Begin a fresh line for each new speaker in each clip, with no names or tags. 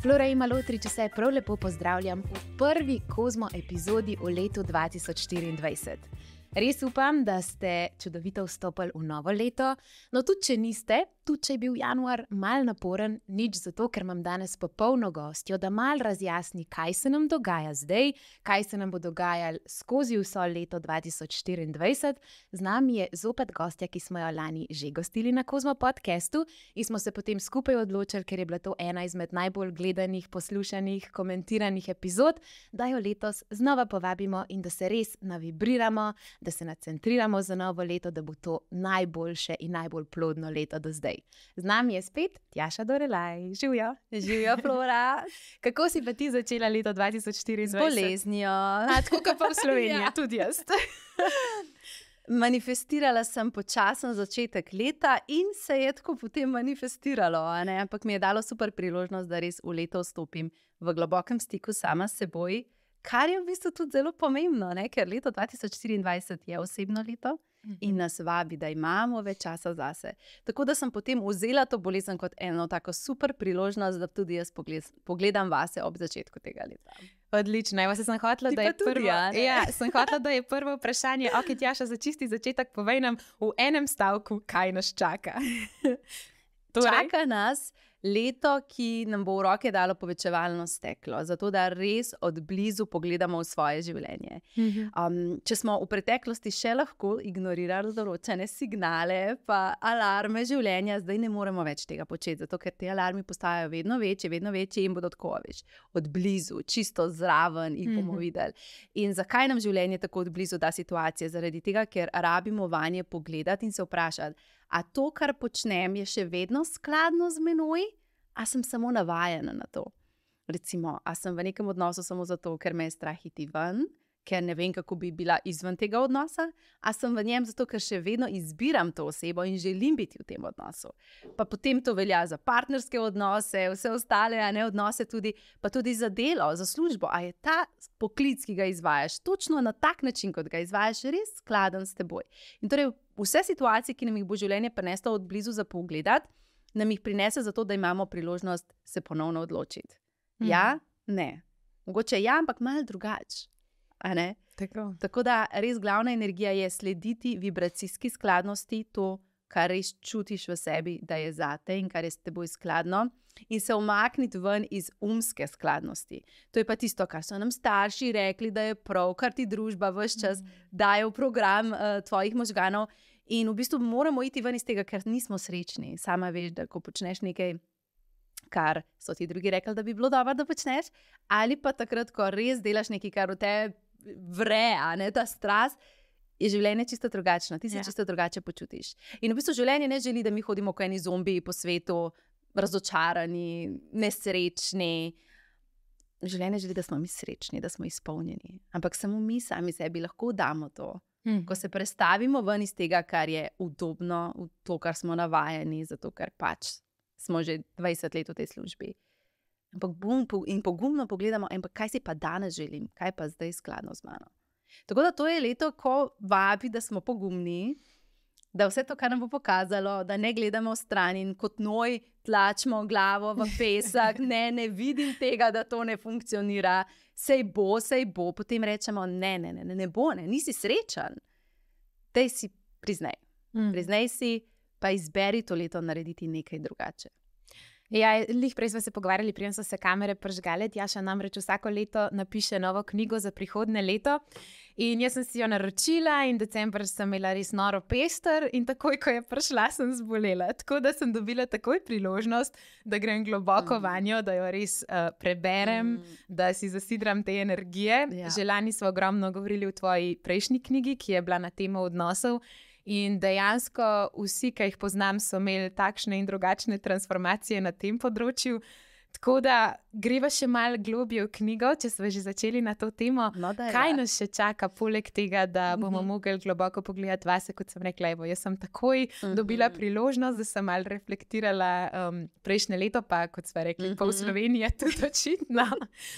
Flora in Malotri, če se prav lepo pozdravljam v prvi Kozmo epizodi v letu 2024. Res upam, da ste čudovito vstopili v novo leto, no tudi če niste, tudi če je bil januar mal naporen, nič zato, ker imam danes popolno gostjo, da mal razjasni, kaj se nam dogaja zdaj, kaj se nam bo dogajalo skozi vso leto 2024. Z nami je zopet gostja, ki smo jo lani že gostili na Kozmo podcastu in smo se potem skupaj odločili, ker je bila to ena izmed najbolj gledanih, poslušanih, komentiranih epizod, da jo letos znova povabimo in da se res navibriramo, da se nacentriramo za novo leto, da bo to najboljše in najbolj plodno leto do zdaj. Z nami je spet Tjaša Dorelaj. Živjo.
Živjo, Flora.
Kako si pa ti začela leto 2024?
Z boleznijo.
Tako kot pa v Sloveniji, ja. Tudi jaz.
Manifestirala sem počasen začetek leta in se je tako potem manifestiralo, ampak mi je dalo super priložnost, da res v leto vstopim v globokem stiku sama s seboj, kar je v bistvu tudi zelo pomembno, ker leto 2024 je osebno leto in nas vabi, da imamo več časa zase. Tako da sem potem vzela to bolezen kot eno tako super priložnost, da tudi jaz pogledam vase ob začetku tega leta.
Odlično, evo se sem hotela, da je prvo. Sem hotela, da je prvo vprašanje, ok, Tjaša, za čisti začetek povej nam v enem stavku, kaj nas čaka.
Čaka nas leto, ki nam bo v roke dalo povečevalno steklo, zato da res od blizu pogledamo v svoje življenje. Če smo v preteklosti še lahko ignorirali določene signale pa alarme življenja, zdaj ne moremo več tega početi, zato ker te alarmi postajajo vedno večji in bodo tako od blizu, čisto zraven jih bomo videli. In zakaj nam življenje tako od blizu da situacije? Zaradi tega, ker rabimo vanje pogledati in se vprašati, a to, kar počnem, je še vedno skladno z menoj, a sem samo navajena na to. Recimo, a sem v nekem odnosu samo zato, ker me je strah iti ven, ker ne vem, kako bi bila izven tega odnosa, a sem v njem zato, ker še vedno izbiram to osebo in želim biti v tem odnosu. Pa potem to velja za partnerske odnose, vse ostale odnose tudi, pa tudi za delo, za službo. A je ta poklic, ki ga izvajaš, točno na tak način, kot ga izvajaš, res skladen s teboj. In torej vse situacije, ki nam jih bo življenje prineslo od blizu za pogledati, nam jih prinese zato, da imamo priložnost se ponovno odločiti. Ja, ne. Mogoče ja, ampak malo drugače. Tako da res glavna energija je slediti vibracijski skladnosti, to, kar res čutiš v sebi, da je zate in kar je s teboj skladno, in se umakniti ven iz umske skladnosti. To je pa tisto, kar so nam starši rekli, da je prav, kar ti družba ves čas daje v program tvojih možganov. In v bistvu moramo iti ven iz tega, ker nismo srečni. Sama veš, da ko počneš nekaj, kar so ti drugi rekli, da bi bilo dobro, da počneš, ali pa takrat, ko res delaš nekaj, kar v tebi vre, ta strast, je življenje čisto drugačno. Ti se čisto drugače počutiš. In v bistvu življenje ne želi, da mi hodimo kot eni zombiji po svetu, razočarani, nesrečni. Življenje želi, da smo mi srečni, da smo izpolnjeni. Ampak samo mi sami sebi lahko damo to. Ko se prestavimo ven iz tega, kar je udobno, v to, kar smo navajeni, zato ker pač smo že 20 let v tej službi. In pogumno pogledamo, kaj si pa danes želim, kaj pa zdaj skladno z mano. Tako da to je leto, ko vabi, da smo pogumni, da vse to, kar nam bo pokazalo, da ne gledamo stran in kot noj tlačimo glavo v pesek, ne vidim tega, da to ne funkcionira, sej bo, potem rečemo, ne bo, nisi srečen. Daj si priznaj. Priznaj si, pa izberi to leto narediti nekaj drugače.
Ja, lih prej smo se pogovarjali, preden so se kamere pržgale. Tjaša namreč vsako leto napiše novo knjigo za prihodnje leto in jaz sem si jo naročila in december sem imela res noro pester in takoj, ko je prišla, sem zbolela. Tako da sem dobila takoj priložnost, da grem globoko vanjo, da jo res preberem, da si zasidram te energije.
Ja.
Že lani smo ogromno govorili v tvoji prejšnji knjigi, ki je bila na temo odnosov. In dejansko vsi, ki jih poznam, so imeli takšne in drugačne transformacije na tem področju. Tako da greva še malo globje v knjigo, če smo že začeli na to temo.
No,
kaj nas še čaka, poleg tega, da bomo mogli globoko pogledati vase, kot sem rekla, evo, jaz sem takoj dobila priložnost, da sem malo reflektirala prejšnje leto, pa kot smo rekli, pa v Sloveniji je tudi očitno,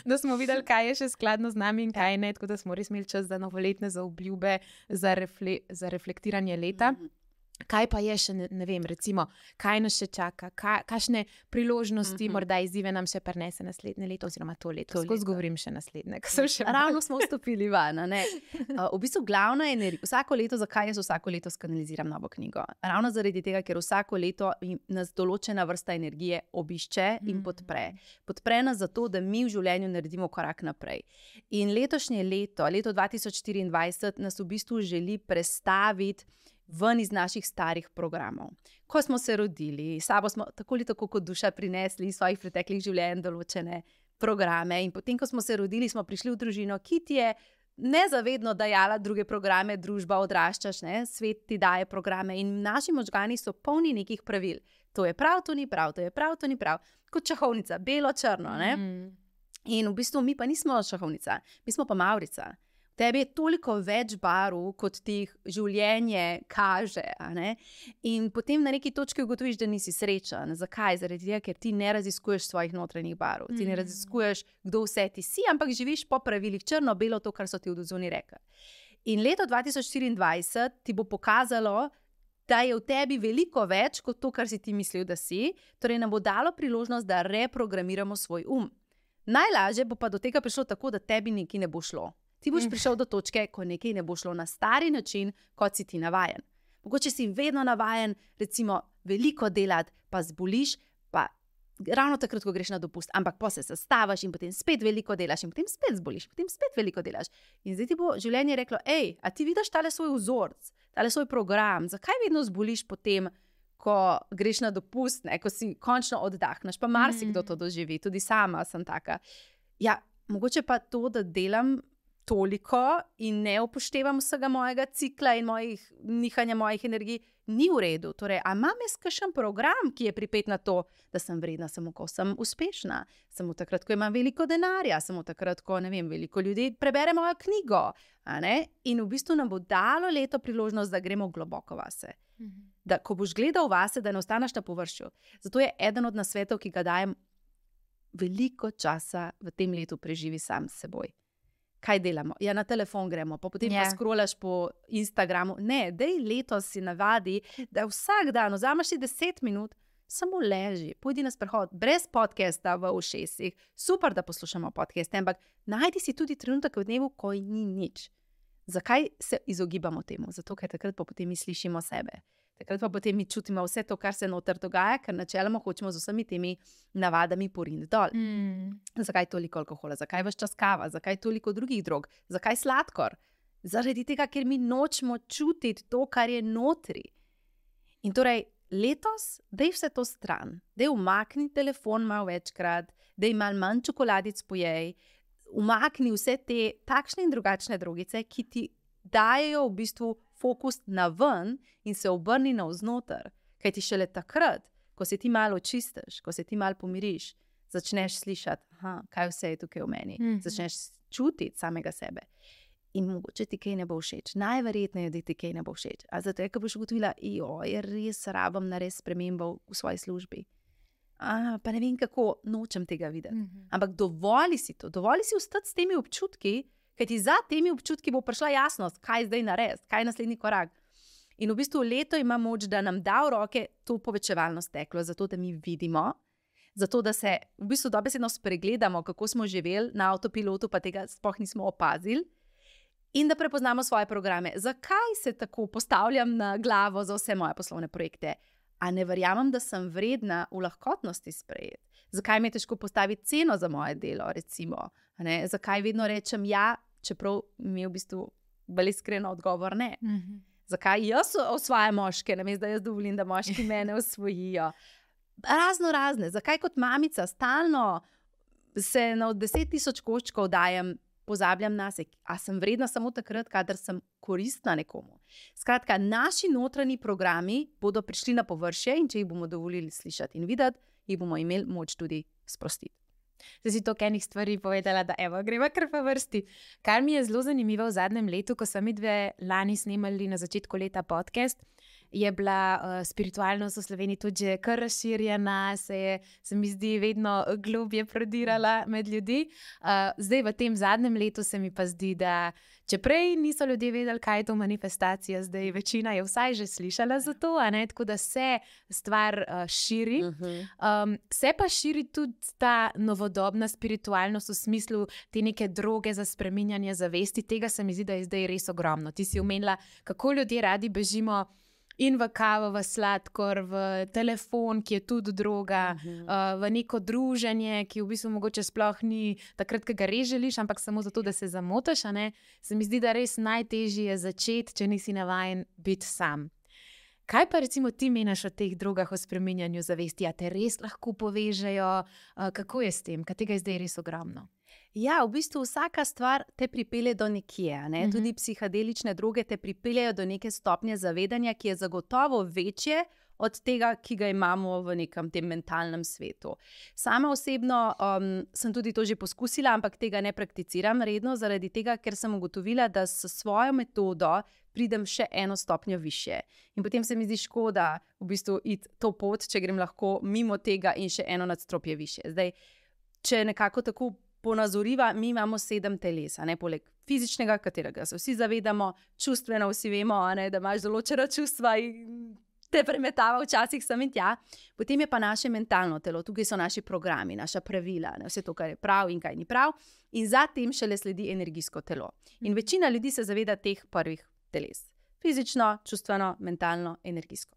da smo videli, kaj je še skladno z nami in kaj ne, tako da smo res imeli čas za novoletne, za obljube, za reflektiranje leta. Kaj pa je še, ne vem, recimo, kaj nas še čaka, kakšne priložnosti, morda izzive nam še prinese naslednje leto, oziroma to leto. Skozi govorim še naslednje, ko sem še
ravno smo vstopili van. V bistvu glavna energija, vsako leto, zakaj jaz vsako leto skanaliziram novo knjigo? Ravno zaradi tega, ker vsako leto nas določena vrsta energije obišče in podpre. Podpre nas zato, da mi v življenju naredimo korak naprej. In letošnje leto 2024, nas v bistvu želi prestaviti ven iz naših starih programov. Ko smo se rodili, sabo smo tako ali tako kot duša prinesli iz svojih preteklih življenj določene programe in potem, ko smo se rodili, smo prišli v družino, ki ti je nezavedno dajala druge programe, družba, odraščaš, svet ti daje programe in naši možgani so polni nekih pravil. To je prav, to ni prav, to je prav, to ni prav. Kot šahovnica, belo-črno. In v bistvu mi pa nismo šahovnica, mi smo pa mavrica. Tebi je toliko več barv, kot ti življenje kaže. In potem na neki točki ugotoviš, da nisi srečen. Zakaj? Zaradi tega, ker ti ne raziskuješ svojih notranjih barv. Ti ne raziskuješ, kdo vse ti si, ampak živiš po pravilih črno-belo, to, kar so ti v dozuni rekli. In leto 2024 ti bo pokazalo, da je v tebi veliko več kot to, kar si ti mislil, da si. Torej nam bo dalo priložnost, da reprogramiramo svoj Najlažje bo pa do tega prišlo tako, da tebi nekaj ne bo šlo. Ti boš prišel do točke, ko nekaj ne bo šlo na stari način, kot si ti navajen. Mogoče si vedno navajen, recimo, veliko delati, pa zboliš, pa ravno takrat, ko greš na dopust, ampak pa se sestavaš in potem spet veliko delaš in potem spet zboliš, potem spet veliko delaš. In zdaj ti bo življenje reklo, a ti vidiš tale svoj vzorc, tale svoj program, zakaj vedno zboliš potem, ko greš na dopust, ko si končno oddahneš, pa marsikdo to doživi, tudi sama sem taka. Ja, mogoče pa to, da delam toliko in ne upoštevam vsega mojega cikla in nihanja mojih energij, ni v redu. Torej, a imam jaz kakšen program, ki je pripet na to, da sem vredna samo, ko sem uspešna, samo takrat, ko imam veliko denarja, samo takrat, ko, veliko ljudi prebere mojo knjigo. In v bistvu nam bo dalo leto priložnost, da gremo globoko vase. Da, ko boš gledal vase, da ne ostaneš na površju. Zato je eden od nasvetov, ki ga dajem, veliko časa v tem letu preživi sam s seboj. Kaj delamo? Ja, na telefon gremo, pa potem pa scrollaš po Instagramu. Ne, dej letos si navadi, da vsak dan vzameš 10 minut, samo leži, pojdi na sprehod, brez podcasta v ušesih. Super, da poslušamo podcaste, ampak najdi si tudi trenutek v dnevu, ko ni nič. Zakaj se izogibamo temu? Zato, ker takrat pa potem mi slišimo sebe. Takrat pa potem mi čutimo vse to, kar se noter dogaja, ker načeloma hočemo z vsemi temi navadami poriniti dol. Zakaj toliko alkohola? Zakaj ves čas kava? Zakaj toliko drugih drog? Zakaj sladkor? Zaradi tega, ker mi nočemo čutiti to, kar je notri. In torej, letos, dej vse to stran. Dej umakni telefon malo večkrat, dej malo manj čokoladic pojej, umakni vse te takšne in drugačne drogice, ki ti dajejo v bistvu fokus na ven in se obrni navznoter. Kaj ti šele takrat, ko se ti malo očistiš, ko se ti malo pomiriš, začneš slišati, kaj vse je tukaj v meni. Začneš čutiti samega sebe. In mogoče ti kaj ne bo všeč. Najverjetneje, da ti kaj ne bo všeč. A zato je, ko boš ugotovila, res rabim narediti spremembo v svoji službi. Pa ne vem kako, nočem tega videti. Ampak dovoli si to, dovoli si ostati s temi občutki, ker ti za temi občutki bo prišla jasnost, kaj zdaj narediti, kaj je naslednji korak. In v bistvu leto ima moč, da nam da v roke to povečevalno steklo, zato da mi vidimo, zato da se v bistvu dobesedno spregledamo, kako smo živeli na avtopilotu, pa tega sploh nismo opazili, in da prepoznamo svoje programe. Zakaj se tako postavljam na glavo za vse moje poslovne projekte? A ne verjamem, da sem vredna v lahkotnosti sprejeti? Zakaj mi je težko postaviti ceno za moje delo, recimo? Zakaj vedno rečem ja, čeprav mi je v bistvu bolj iskreno odgovor ne? Zakaj jaz osvajam moške, namesto da jaz dovolim, da moški mene osvojijo? Razne. Zakaj kot mamica stalno se na 10.000 koščkov dajem, pozabljam nase, a sem vredna samo takrat, kadar sem koristna nekomu. Skratka, naši notranji programi bodo prišli na površje in če jih bomo dovolili slišati in videti, jih bomo imeli moč tudi sprostiti.
Zdaj si toliko enih stvari povedala, da greva kar po vrsti. Kar mi je zelo zanimivo v zadnjem letu, ko smo mi dve lani snemali na začetku leta podcast, je bila spiritualnost v Sloveniji tudi že kar razširjena, se mi zdi vedno globje prodirala med ljudi. Zdaj v tem zadnjem letu se mi pa zdi, da če prej niso ljudje vedeli, kaj je to manifestacija, zdaj večina je vsaj že slišala za to, tako da se stvar širi. Se pa širi tudi ta novodobna spiritualnost v smislu te neke droge za spreminjanje zavesti. Tega se mi zdi, da je zdaj res ogromno. Ti si omenila, kako ljudje radi bežimo in v kavo, v sladkor, v telefon, ki je tudi droga, v neko druženje, ki v bistvu mogoče sploh ni takrat, ko ga res želiš, ampak samo zato, da se zamotaš. Se mi zdi, da res najtežje je začeti, če nisi navajen biti sam. Kaj pa recimo ti meniš o teh drogah, o spreminjanju zavesti? A te res lahko povežejo? Kako je s tem? Kaj tega je zdaj res ogromno?
Ja, v bistvu vsaka stvar te pripelje do nekje. Tudi psihadelične droge te pripeljejo do neke stopnje zavedanja, ki je zagotovo večje od tega, ki ga imamo v nekem tem mentalnem svetu. Sama osebno sem tudi to že poskusila, ampak tega ne prakticiram redno, zaradi tega, ker sem ugotovila, da s svojo metodo pridem še eno stopnjo više. In potem se mi zdi škoda v bistvu iti to pot, če grem lahko mimo tega in še eno nadstropje više. Zdaj, če nekako tako ponazoriva, mi imamo 7 teles, poleg fizičnega, katerega se vsi zavedamo, čustveno vsi vemo, da imaš določena čustva in te premetava včasih sem in tja. Potem je pa naše mentalno telo, tukaj so naši programi, naša pravila, vse to, kar je prav in kaj ni prav. In zatem šele sledi energijsko telo. In večina ljudi se zaveda teh prvih teles. Fizično, čustveno, mentalno, energijsko.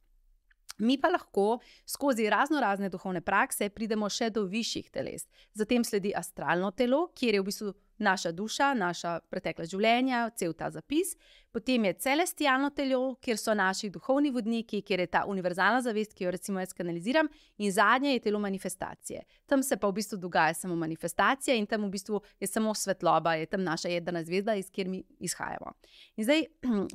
Mi pa lahko skozi razne duhovne prakse pridemo še do višjih teles. Zatem sledi astralno telo, kjer je v bistvu naša duša, naša pretekla življenja, cel ta zapis. Potem je celestialno telo, kjer so naši duhovni vodniki, kjer je ta univerzalna zavest, ki jo recimo jaz kanaliziram. In zadnje je telo manifestacije. Tam se pa v bistvu dogaja samo manifestacija in tam v bistvu je samo svetloba, je tam naša jedrna zvezda, iz kjer mi izhajamo. In zdaj,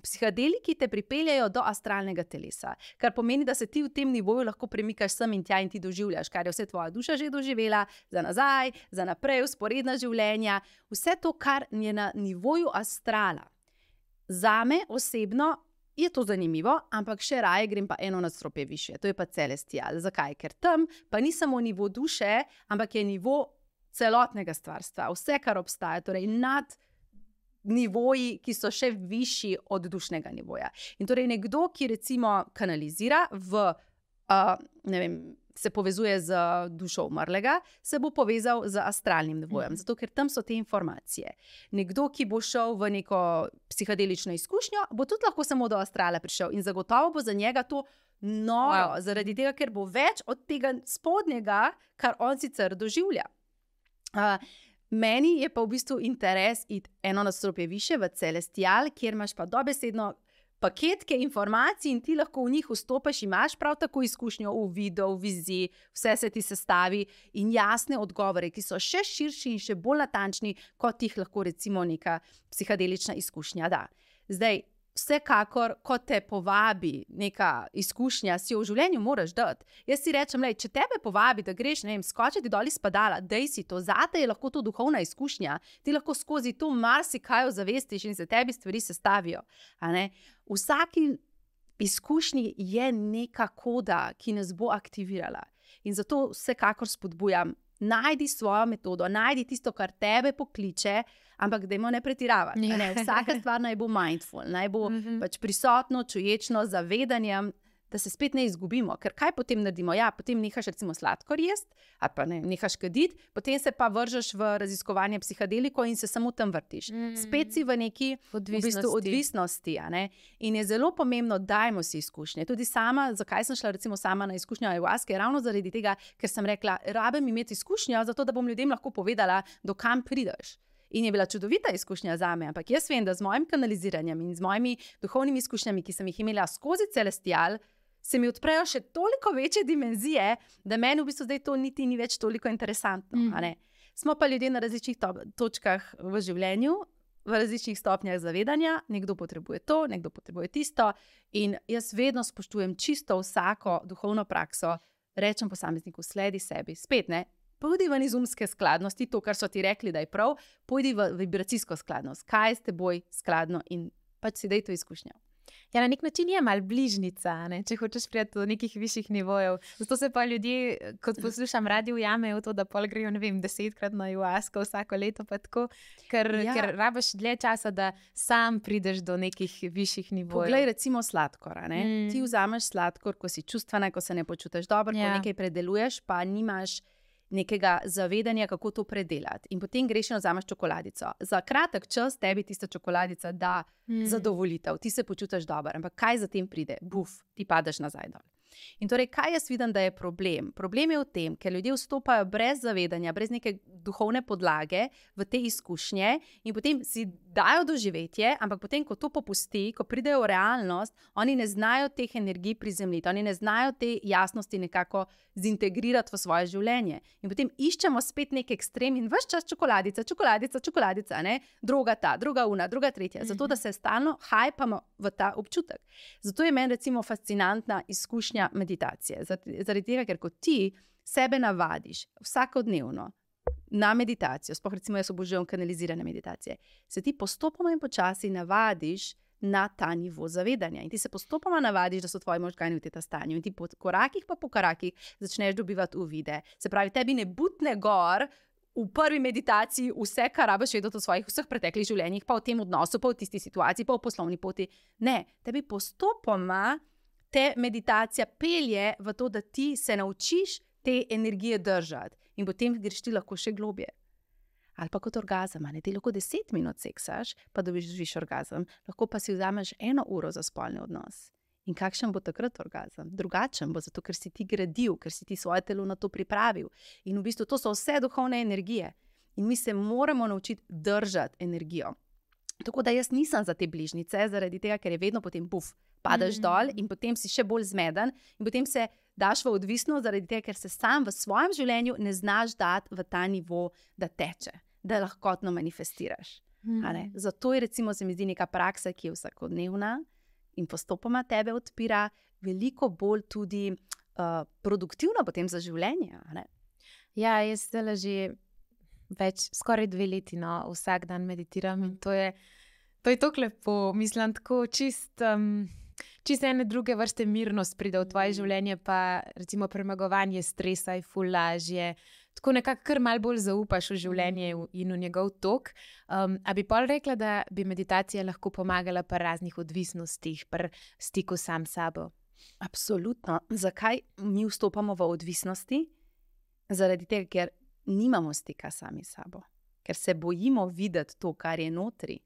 psihadeliki te pripeljajo do astralnega telesa, kar pomeni, da se ti v tem nivoju lahko premikaš sem in tja in ti doživljaš, kar je vse tvoja duša že doživela, za nazaj, za naprej, vzporedna življenja, vse to, kar je na nivoju astrala. Zame osebno je to zanimivo, ampak še raje grem pa eno nadstropje više, to je pa celestial. Zakaj? Ker tam pa ni samo nivo duše, ampak je nivo celotnega stvarstva, vse, kar obstaja, torej nad nivoji, ki so še višji od dušnega nivoja. In torej nekdo, ki recimo kanalizira se povezuje z dušo umrlega, se bo povezal z astralnim nivojem, zato ker tam so te informacije. Nekdo, ki bo šel v neko psihadelično izkušnjo, bo tudi lahko samo do astrala prišel in zagotovo bo za njega to noro, zaradi tega, ker bo več od tega spodnjega, kar on sicer doživlja. Meni je pa v bistvu interes iti eno nadstropje više v celestial, kjer imaš pa dobesedno paketke informacij in ti lahko v njih vstopiš, imaš prav tako izkušnjo v videu, v viziji, vse se ti sestavi in jasne odgovore, ki so še širši in še bolj natančni, kot jih lahko recimo neka psihadelična izkušnja da. Zdaj, vsekakor, ko te povabi neka izkušnja, si jo v življenju moraš dati. Jaz si rečem, če tebe povabi, da greš, skočiti dol iz padala, dej si to, zate je lahko to duhovna izkušnja, ti lahko skozi to marsikaj ozavestiš in se tebi stvari sestavijo. V vsaki izkušnji je neka koda, ki nas bo aktivirala. In zato vsekakor spodbujam, najdi svojo metodo, najdi tisto, kar tebe pokliče, ampak dajmo ne pretiravati. Vsaka stvar naj bo mindful, naj bo pač prisotno, čuječno, zavedanjem, da se spet ne izgubimo. Ker kaj potem naredimo? Ja, potem nehaš recimo sladkor jesti, ali pa nehaš kaditi, potem se pa vržeš v raziskovanje psihadeliko in se samo tam vrtiš. Spet si v neki odvisnosti. In je zelo pomembno, dajmo si izkušnje. Tudi sama, zakaj sem šla recimo sama na izkušnjo ayahuaske, ravno zaradi tega, ker sem rekla, rabim imeti izkušnjo, zato da bom ljudem lahko povedala, do kam prideš. In je bila čudovita izkušnja zame, ampak jaz vem, da z mojim kanaliziranjem in z mojimi duhovnimi izkušnjami, ki sem jih imela skozi celestial, se mi odprejo še toliko večje dimenzije, da meni v bistvu zdaj to niti ni več toliko interesantno. Smo pa ljudje na različnih točkah v življenju, v različnih stopnjah zavedanja, nekdo potrebuje to, nekdo potrebuje tisto in jaz vedno spoštujem čisto vsako duhovno prakso, rečem posamezniku, sledi sebi, spet pojdi ven iz umske skladnosti, to, kar so ti rekli, da je prav, pojdi v vibracijsko skladnost, kaj je s teboj skladno in pač si daj to izkušnjo.
Ja, na nek način je malo bližnica, ne? Če hočeš priti do nekih višjih nivojev. Zato se pa ljudje, kot poslušam radio, jamejo v to, da pol grejo, ne vem, 10-krat na ayahuasco vsako leto, pa tako, ker rabiš dlje časa, da sam prideš do nekih višjih nivojev.
Poglej, recimo sladkor, ne? Ti vzameš sladkor, ko si čustvena, ko se ne počutiš dobro, ko nekaj predeluješ, pa nimaš nekega zavedanja, kako to predelati. In potem greš in vzameš čokoladico. Za kratek čas tebi tista čokoladica da zadovoljitev, ti se počutiš dobro, ampak kaj za tem pride? Buf, ti padeš nazaj dol. In torej, kaj jaz vidim, da je problem? Problem je v tem, ker ljudje vstopajo brez zavedanja, brez neke duhovne podlage v te izkušnje in potem si dajo doživetje, ampak potem, ko to popusti, ko pridejo v realnost, oni ne znajo teh energij prizemljiti, oni ne znajo te jasnosti nekako zintegrirati v svoje življenje. In potem iščemo spet nek ekstrem in ves čas čokoladica, ne? Droga ta, druga una, druga tretja, zato da se stalno hajpamo v ta občutek. Zato je meni recimo fascinantna izkušnja meditacije. Zaradi tega, ker ko ti sebe navadiš vsakodnevno na meditacijo, sploh recimo jaz obožujem kanalizirane meditacije, se ti postopoma in počasi navadiš na ta nivo zavedanja. In ti se postopoma navadiš, da so tvoji možgani v tem stanju. In ti po korakih začneš dobivati uvide. Se pravi, tebi ne butne gor v prvi meditaciji vse, kar rabiš vedeti o svojih vseh preteklih življenjih, pa v tem odnosu, pa v tisti situaciji, pa v poslovni poti. Ne, tebi postopoma te meditacija pelje v to, da ti se naučiš te energije držati in potem greš ti lahko še globje. Ali pa kot orgazem, ne, ti lahko 10 minut seksaš, pa dobiš orgazem, lahko pa si vzameš 1 uro za spolni odnos. In kakšen bo takrat orgazem? Drugačen bo, zato ker si ti gradil, ker si ti svoje telo na to pripravil. In v bistvu to so vse duhovne energije. In mi se moramo naučiti držati energijo. Tako da jaz nisem za te bližnjice, zaradi tega, ker je vedno potem padeš dol in potem si še bolj zmeden in potem se daš v odvisnost, zaradi tega, ker se sam v svojem življenju ne znaš dati v ta nivo, da teče, da lahkotno manifestiraš. Zato je recimo, se mi zdi, neka praksa, ki je vsakodnevna in postopoma tebe odpira, veliko bolj tudi produktivna potem za življenje.
Ja, jaz zdaj že skoraj 2 leti vsak dan meditiram in to je tako lepo, mislim, tako čist ene druge vrste mirnost pride v tvoje življenje, pa recimo premagovanje stresa je ful lažje, tako nekako kar malo bolj zaupaš v življenje in v njegov tok. A bi pol rekla, da bi meditacija lahko pomagala pri raznih odvisnostih, pri stiku sam s sabo?
Absolutno. Zakaj mi vstopamo v odvisnosti? Zaradi tega, ker nimamo stika sami s sabo, ker se bojimo videti to, kar je notri.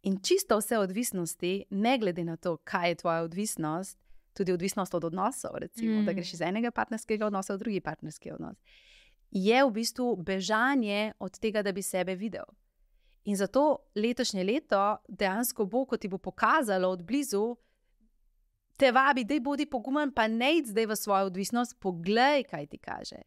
In čisto vse odvisnosti, ne glede na to, kaj je tvoja odvisnost, tudi odvisnost od odnosov, recimo, da greš iz enega partnerskega odnosa v drugi partnerski odnos, je v bistvu bežanje od tega, da bi sebe videl. In zato letošnje leto dejansko bo, ko ti bo pokazalo od blizu, te vabi, daj bodi pogumen, pa ne id zdaj v svojo odvisnost, poglej, kaj ti kaže.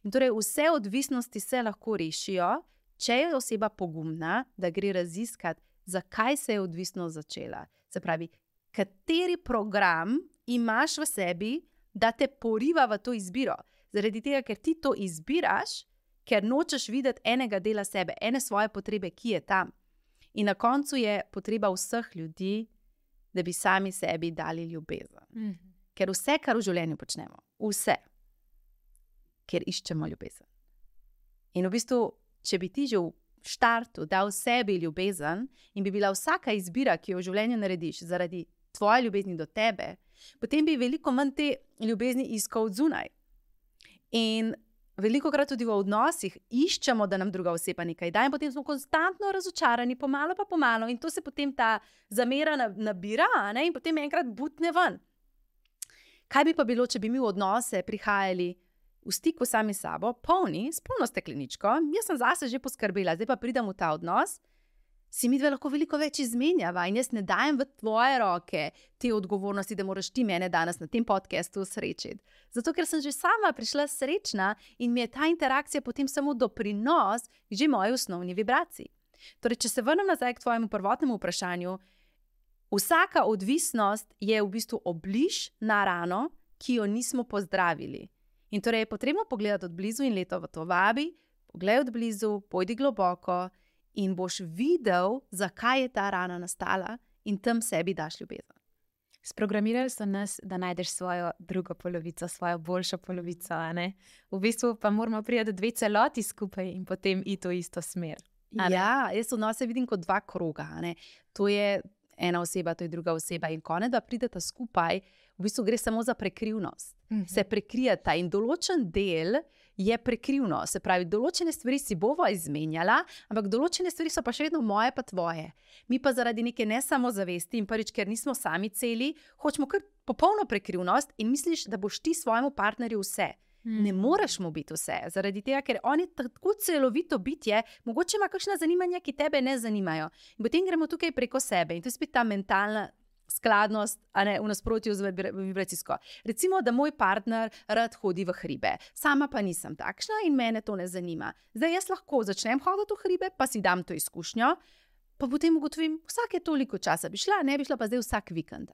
In torej vse odvisnosti se lahko rešijo, če je oseba pogumna, da gre raziskati, zakaj se je odvisnost začela. Se pravi, kateri program imaš v sebi, da te poriva v to izbiro. Zaradi tega, ker ti to izbiraš, ker nočeš videti enega dela sebe, ene svoje potrebe, ki je tam. In na koncu je potreba vseh ljudi, da bi sami sebi dali ljubezen. Ker vse, kar v življenju počnemo, vse, ker iščemo ljubezen. In v bistvu, če bi ti že v štartu dal sebi ljubezen in bi bila vsaka izbira, ki jo v življenju narediš zaradi tvoje ljubezni do tebe, potem bi veliko manj te ljubezni iskal od zunaj. In velikokrat tudi v odnosih iščemo, da nam druga oseba nekaj da in potem smo konstantno razočarani, pomalo pa pomalo in to se potem ta zamera nabira, in potem enkrat butne ven. Kaj bi pa bilo, če bi mi v odnose prihajali v stiku sami s sabo, polni, s polno stekleničko, jaz sem zase že poskrbela, zdaj pa pridem v ta odnos, si midve lahko veliko več izmenjava in jaz ne dajem v tvoje roke te odgovornosti, da moraš ti mene danes na tem podcastu srečiti. Zato, ker sem že sama prišla srečna in mi je ta interakcija potem samo doprinos že moji osnovni vibraciji. Torej, če se vrnem nazaj k tvojemu prvotnemu vprašanju, vsaka odvisnost je v bistvu obliž na rano, ki jo nismo pozdravili. In torej je potrebno pogledati od blizu in leto v to vabi, poglej od blizu, pojdi globoko in boš videl, zakaj je ta rana nastala in tam sebi daš ljubezen.
Sprogramirali so nas, da najdeš svojo drugo polovico, svojo boljšo polovico. V bistvu pa moramo priti dve celoti skupaj in potem iti v isto smer.
Ja, jaz odnose vidim kot dva kroga. To je ena oseba, to je druga oseba. In ko da prideta skupaj, v bistvu gre samo za prekrivnost. Se prekrijeta in določen del je prekrivno. Se pravi, določene stvari si bova izmenjala, ampak določene stvari so pa še vedno moje pa tvoje. Mi pa zaradi neke nesamozavesti in prvič, ker nismo sami celi, hočemo kar popolno prekrivnost in misliš, da boš ti svojemu partnerju vse. Ne moreš mu biti vse, zaradi tega, ker on je tako celovito bitje, mogoče ima kakšna zanimanja, ki tebe ne zanimajo. In potem gremo tukaj preko sebe in to je spet ta mentalna skladnost, v nasprotju z vibracijsko. Recimo, da moj partner rad hodi v hribe, sama pa nisem takšna in mene to ne zanima. Zdaj jaz lahko začnem hoditi v hribe, pa si dam to izkušnjo, pa potem ugotovim, vsake toliko časa bi šla, ne bi šla pa zdaj vsak vikend.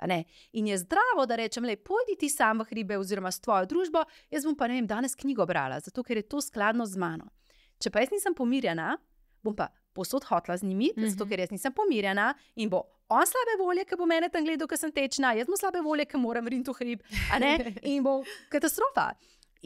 In je zdravo, da rečem, pojdi ti sam v hribe oziroma s tvojo družbo, jaz bom pa, danes knjigo brala, zato ker je to skladno z mano. Če pa jaz nisem pomirjena, bom pa posod hotla z njimi, zato ker jaz nisem pomirjena in bo on slabe volje, ker bo mene tam gledal, ker sem tečna, jaz bom slabe volje, ker moram riniti v hrib, in bo katastrofa.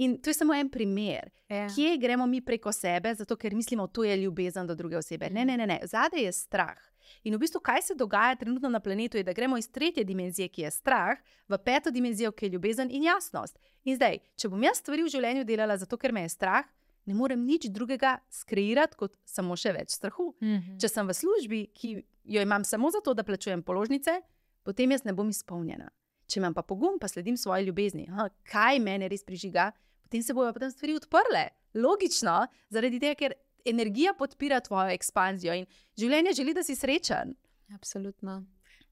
In to je samo en primer, kje gremo mi preko sebe, zato ker mislimo, to je ljubezen do druge osebe. Ne. Zadaj je strah. In v bistvu, kaj se dogaja trenutno na planetu, je, da gremo iz 3. dimenzije, ki je strah, v 5. dimenzijo, ki je ljubezen in jasnost. In zdaj, če bom jaz stvari v življenju delala zato, ker me je strah, ne morem nič drugega skreirati kot samo še več strahu. Če sem v službi, ki jo imam samo zato, da plačujem položnice, potem jaz ne bom izpolnjena. Če imam pa pogum, pa sledim svoji ljubezni, kaj mene res prižiga, potem se bojo potem stvari odprle. Logično, zaradi tega, ker energija podpira tvojo ekspanzijo in življenje želi, da si srečen.
Absolutno.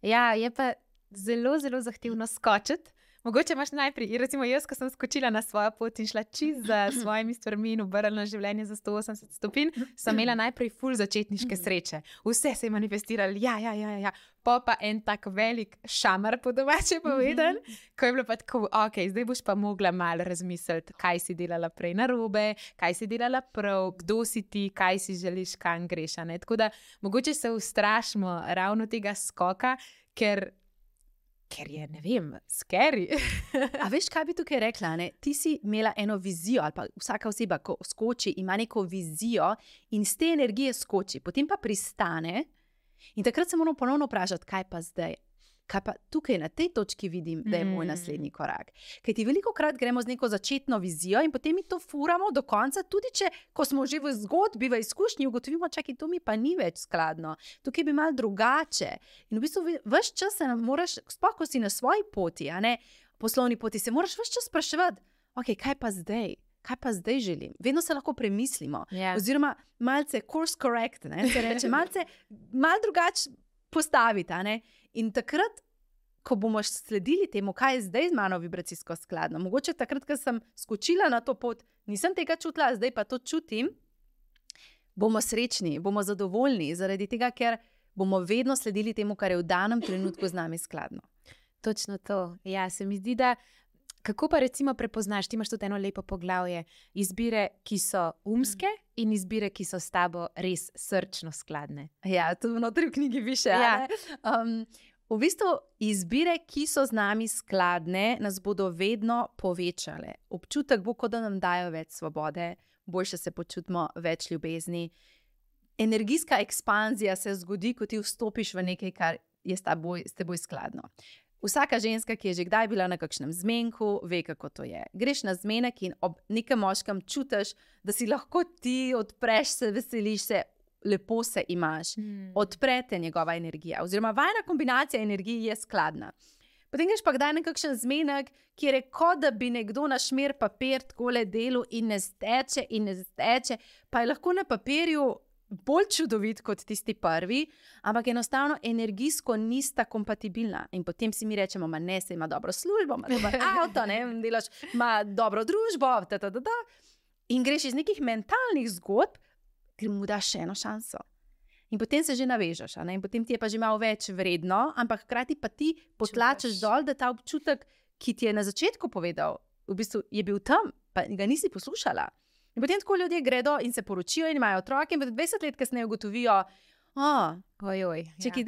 Ja, je pa zelo, zelo zahtevno skočiti. Mogoče imaš najprej, recimo jaz, ko sem skočila na svojo pot in šla čisto za svojimi stvarmi in obrnila življenje za 180 stopinj, sem imela najprej ful začetniške sreče. Vse se je manifestiralo, ja. Pa en tak velik šamar, po domače povedan, ko je bilo pa tako, ok, zdaj boš pa mogla malo razmisliti, kaj si delala prej narobe, kaj si delala prav, kdo si ti, kaj si želiš, kam greš. Tako da mogoče se ustrašimo ravno tega skoka, ker je, ne vem, scary.
A veš, kaj bi tukaj rekla? Ti si imela eno vizijo, ali pa vsaka oseba, ko skoči, ima neko vizijo in z te energije skoči, potem pa pristane in takrat se moramo ponovno vprašati, kaj pa zdaj? Kaj pa tukaj na tej točki vidim, da je moj naslednji korak. Ker ti velikokrat gremo z neko začetno vizijo in potem mi to furamo do konca, tudi če, ko smo že v zgodbi, v izkušnji, ugotovimo, čakaj, to mi pa ni več skladno. Tukaj bi malo drugače. In v bistvu ves čas se moraš, sploh ko si na svoji poti, poslovni poti, se moraš ves čas spraševati, ok, kaj pa zdaj? Kaj pa zdaj želim? Vedno se lahko premislimo. Oziroma malce course correct, se reče, malce drugače postaviti, In takrat, ko bomo sledili temu, kaj je zdaj z mano vibracijsko skladno, mogoče takrat, ko sem skočila na to pot, nisem tega čutila, zdaj pa to čutim, bomo srečni, bomo zadovoljni, zaradi tega, ker bomo vedno sledili temu, kar je v danem trenutku z nami skladno.
Točno to. Ja, se mi zdi, da kako pa recimo prepoznaš, ti imaš tudi eno lepo poglavje, izbire, ki so umske in izbire, ki so s tabo res srčno skladne.
Ja, to vnotri v knjigi piše. V bistvu izbire, ki so z nami skladne, nas bodo vedno povečale. Občutek bo, kot da nam dajo več svobode, boljše se počutimo, več ljubezni. Energijska ekspanzija se zgodi, ko ti vstopiš v nekaj, kar je s teboj skladno. Vsaka ženska, ki je že kdaj bila na kakšnem zmenku, ve, kako to je. Greš na zmenek in ob nekem moškem čutiš, da si lahko ti odpreš se, veseliš se, lepo se imaš. Odprete njegova energija. Oziroma, vajna kombinacija energij je skladna. Potem greš pa kdaj na kakšen zmenek, kjer je kot da bi nekdo na šmer papir takole delal in ne steče, pa je lahko na papirju bolj čudovit kot tisti prvi, ampak enostavno energijsko nista kompatibilna. In potem si mi rečemo, ne, se ima dobro službo, ima dober avto, delaš, ima dobro družbo, in greš iz nekih mentalnih zgodb, ker mu daš še eno šanso. In potem se že navežeš, in potem ti je pa že malo več vredno, ampak hkrati pa ti potlačeš dol, da ta občutek, ki ti je na začetku povedal, v bistvu je bil tam, pa ga nisi poslušala. In potem tako ljudje gredo in se poročijo in imajo otroke in 20 let kasneje ugotovijo, čekaj,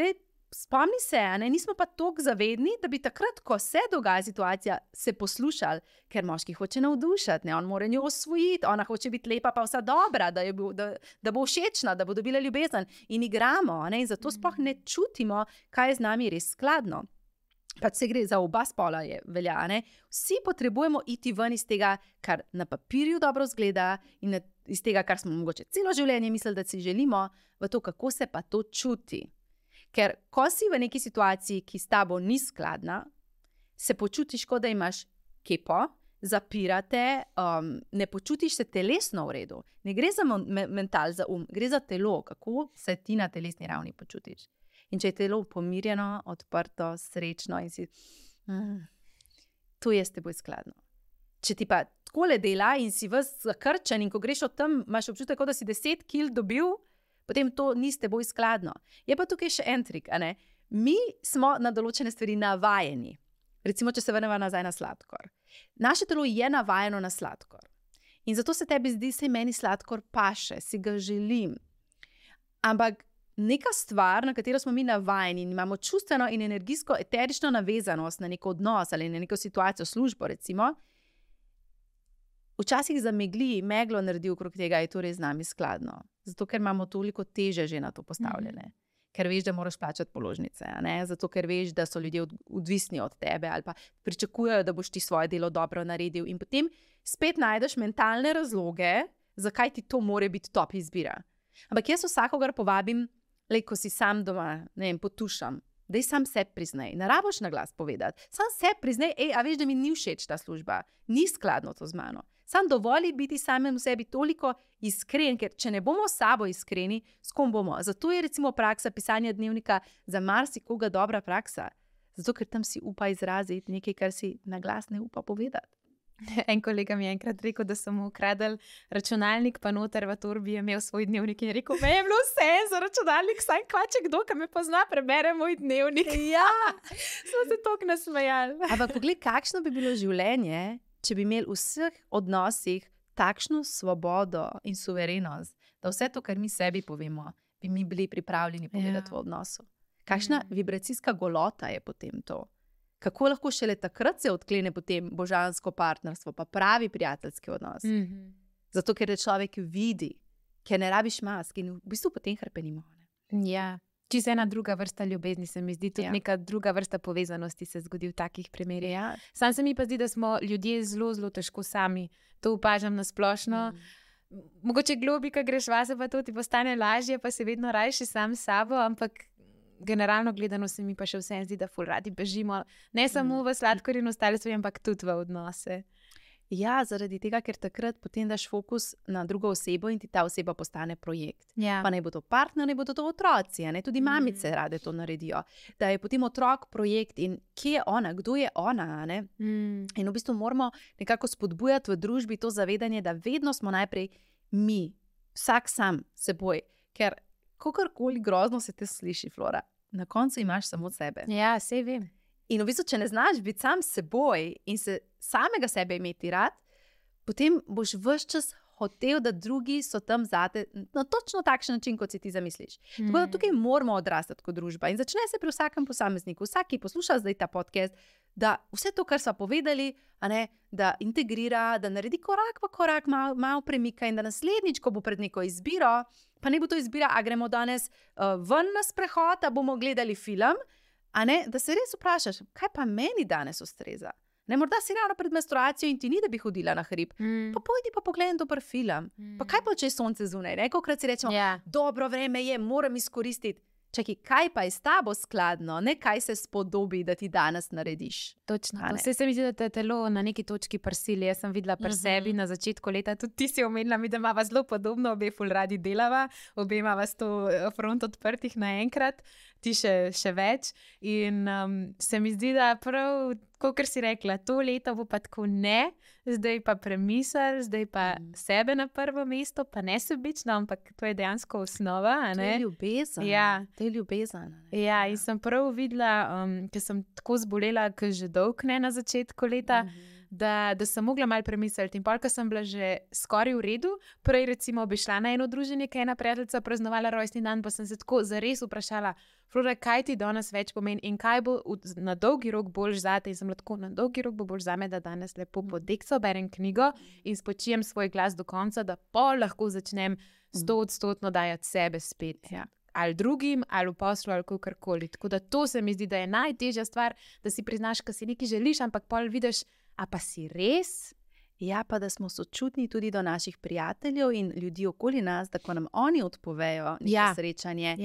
spomni se, nismo pa toliko zavedni, da bi takrat, ko se dogaja situacija, se poslušali, ker moški hoče navdušiti, on mora njo osvojiti, ona hoče biti lepa, pa vsa dobra, da bo všečna, da bo dobila ljubezen in igramo, in zato sploh ne čutimo, kaj je z nami res skladno. Pač se gre za oba spola, velja. Vsi potrebujemo iti ven iz tega, kar na papirju dobro zgleda in iz tega, kar smo mogoče celo življenje mislili, da si želimo, v to, kako se pa to čuti. Ker ko si v neki situaciji, ki s tabo ni skladna, se počutiš, kot da imaš kepo, zapirate, ne počutiš se telesno v redu. Ne gre za mental, za gre za telo, kako se ti na telesni ravni počutiš. In če je telo pomirjeno, odprto, srečno in si, to je s teboj skladno. Če ti pa takole dela in si ves zakrčen in ko greš od tam, imaš občutek, da si 10 kil dobil, potem to ni s teboj skladno. Je pa tukaj še en trik, Mi smo na določene stvari navajeni. Recimo, če se vrnemo nazaj na sladkor. Naše telo je navajeno na sladkor. In zato se tebi zdi, se meni sladkor paše, si ga želim. Ampak neka stvar, na katero smo mi navajeni in imamo čustveno in energijsko eterično navezanost na neko odnos ali na neko situacijo, službo recimo, včasih zamegli, meglo naredi okrog tega, je to res z nami skladno. Zato, ker imamo toliko teže že na to postavljene. Ker veš, da moraš plačati položnice, zato, ker veš, da so ljudje odvisni od tebe ali pa pričakujejo, da boš ti svoje delo dobro naredil in potem spet najdeš mentalne razloge, zakaj ti to more biti top izbira. Ampak jaz vsakogar povabim, ko si sam doma, potušam, daj sam sebi priznaj, ne rabiš na glas povedati. Sam sebi priznaj, a veš, da mi ni všeč ta služba, ni skladno to z mano. Sam dovoli biti samem v sebi toliko iskren, ker če ne bomo s sabo iskreni, s kom bomo? Zato je recimo praksa pisanja dnevnika za marsikoga dobra praksa. Zato, ker tam si upa izraziti nekaj, kar si na glas ne upa povedati.
En kolega mi je enkrat rekel, da so mu ukradli računalnik, pa noter v torbi je imel svoj dnevnik in je rekel, me je bilo vse za računalnik, saj kvače kdo, ki me pozna, prebere moj dnevnik.
Ja,
smo se toliko nasmejali.
Ampak poglej, kakšno bi bilo življenje, če bi imeli v vseh odnosih takšno svobodo in suverenost, da vse to, kar mi sebi povemo, bi mi bili pripravljeni povedati v odnosu. Kakšna vibracijska golota je potem to? Kako lahko šele takrat se odklene potem božansko partnerstvo, pa pravi prijateljski odnos. Zato, ker je človek vidi, ker ne rabiš mask in v bistvu potem hrpenimo.
Ja, čisto ena druga vrsta ljubezni se mi zdi, tudi neka druga vrsta povezanosti se zgodi v takih primerih.
Ja.
Sam se mi pa zdi, da smo ljudje zelo, zelo težko sami. To opažam na splošno. Mogoče globi, ko greš vase, pa to ti postane lažje, pa se vedno rajši sam s sabo, ampak generalno gledano se mi pa še vse zdi, da ful radi bežimo, ne samo v sladkor in ostale stvari, ampak tudi v odnose.
Ja, zaradi tega, ker takrat potem daš fokus na drugo osebo in ti ta oseba postane projekt.
Ja.
Pa naj bo to partner, naj bo to otroci, tudi mamice rade to naredijo. Da je potem otrok projekt in kje je ona, kdo je ona, In v bistvu moramo nekako spodbujati v družbi to zavedanje, da vedno smo najprej mi, vsak sam seboj, ker kakorkoli grozno se te sliši, Flora, na koncu imaš samo sebe.
Ja, sej vem.
In v bistvu, če ne znaš biti sam s seboj in se samega sebe imeti rad, potem boš ves čas hotel, da drugi so tam zate na točno takšen način, kot si ti zamisliš. Tako da tukaj moramo odrastati kot družba in začne se pri vsakem posamezniku, vsak, ki posluša zdaj ta podcast, da vse to, kar sva povedali, da integrira, da naredi korak po korak, malo premika in da naslednjič, ko bo pred neko izbiro, pa ne bo to izbira, a gremo danes ven na sprehod, a bomo gledali film, da se res vprašaš, kaj pa meni danes ustreza. Morda si ravno pred menstruacijo in ti ni, da bi hodila na hrib. Pa pojdi pa pogledaj dober film. Pa kaj pa, če je sonce zunaj? Kolikokrat si rečemo, dobro vreme je, moram izkoristiti. Čakaj, kaj pa je s tabo skladno, ne kaj se spodobi, da ti danes narediš.
Točno. Vse se mi zdi, da te telo na neki točki prsili. Jaz sem videla pri sebi na začetku leta, tudi ti si omenila mi, da imava zelo podobno, obe ful radi delava, obe imava 100 front odprtih naenkrat, ti še več. In se mi zdi, da prav, kakor si rekla, to leto bo pa tako ne, zdaj pa premisel, zdaj pa sebe na prvo mesto, pa ne sebično, ampak to je dejansko osnova.
To je ljubezen.
Ja.
To je ljubezen.
Ja, in sem prav videla, ker sem tako zbolela, ker že dolg ne na začetku leta, da sem mogla malo premisliti. In pol, ko sem bila že skoraj v redu, prej recimo bi šla na eno druženje, ki je ena prijateljica praznovala rojstni dan, pa sem se tako zares vprašala, Flora, kaj ti danes več pomeni in kaj bo na dolgi rok boljš zate. In sem lahko na dolgi rok bo boljš zame, da danes lepo podekso berem knjigo in spočijem svoj glas do konca, da pol lahko začnem 100% dajati sebe spet.
Ja.
Ali drugim, ali v poslu, ali kakorkoli. Tako da to se mi zdi, da je najtežja stvar, da si priznaš, da si nekaj želiš, ampak pol vidiš, a pa si res?
Ja, pa da smo sočutni tudi do naših prijateljev in ljudi okoli nas, da ko nam oni odpovejo neko srečanje,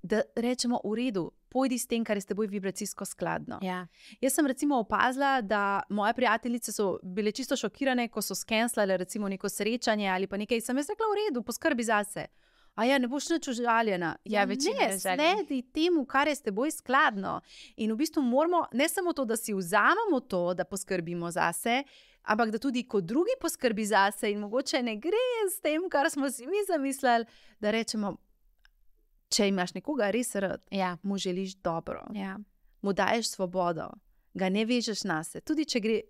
da rečemo v redu, pojdi s tem, kar je s teboj vibracijsko skladno.
Ja.
Jaz sem recimo opazila, da moje prijateljice so bile čisto šokirane, ko so skenslale recimo neko srečanje ali pa nekaj. Sem jaz rekla, v redu, poskrbi zase. A ja, ne boš nič užaljena.
Ja,
ne, sledi temu, kar je s teboj skladno. In v bistvu moramo, ne samo to, da si vzamemo to, da poskrbimo zase, ampak da tudi kot drugi poskrbi zase in mogoče ne gre s tem, kar smo si mi zamislili, da rečemo, če imaš nekoga res rad, mu želiš dobro, mu daješ svobodo, ga ne vežeš nase. Tudi če gre